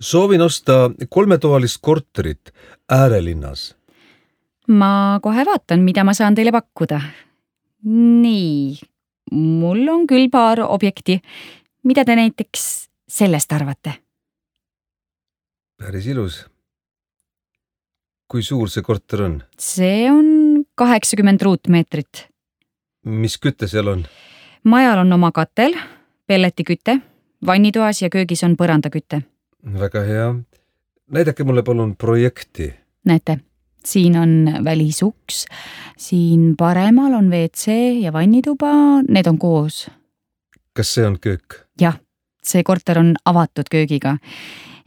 Soovin osta 3-toalist korterit äärelinnas. Ma kohe vaatan, mida ma saan teile pakkuda. Nii, mul on küll paar objekti. Mida te näiteks sellest arvate? Päris ilus. Kui suur see korter on? See on 80 ruutmeetrit. Mis kütte seal on? Majal on oma katel, pelletiküte, vannitoas ja köögis on põrandaküte. Väga hea. Näidake mulle palun projekti. Näete, siin on välisuks, siin paremal on WC ja vannituba, need on koos. Kas see on köök? Jah, see korter on avatud köögiga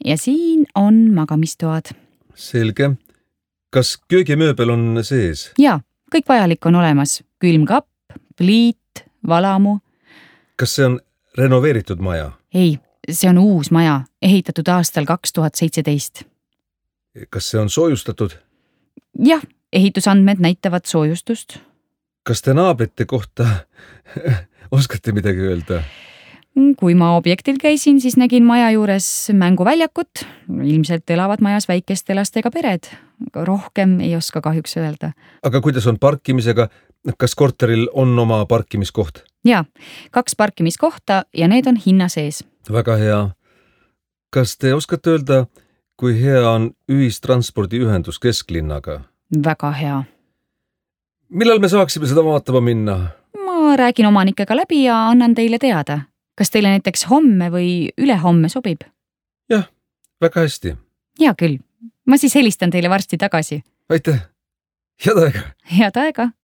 ja siin on magamistoad. Selge. Kas köögimööbel on sees? Jaa, kõik vajalik on olemas. Külmkapp, pliit, valamu. Kas see on renoveeritud maja? Ei, see on uus maja, ehitatud aastal 2017. Kas see on soojustatud? Jah, ehitusandmed näitavad soojustust. Kas te naabrite kohta oskate midagi öelda? Kui ma objektil käisin, siis nägin maja juures mänguväljakut. Ilmselt elavad majas väikeste lastega pered. Rohkem ei oska kahjuks öelda. Aga kuidas on parkimisega? Kas korteril on oma parkimiskoht? Jaa, 2 parkimiskohta ja need on hinna sees. Väga hea. Kas te oskate öelda, kui hea on ühistranspordiühendus kesklinnaga? Väga hea. Millal me saaksime seda vaatama minna? Ma räägin omanikega läbi ja annan teile teada. Kas teile näiteks homme või ülehomme sobib? Jah, väga hästi. Hea küll. Ma siis helistan teile varsti tagasi. Aitäh. Head aega. Head aega.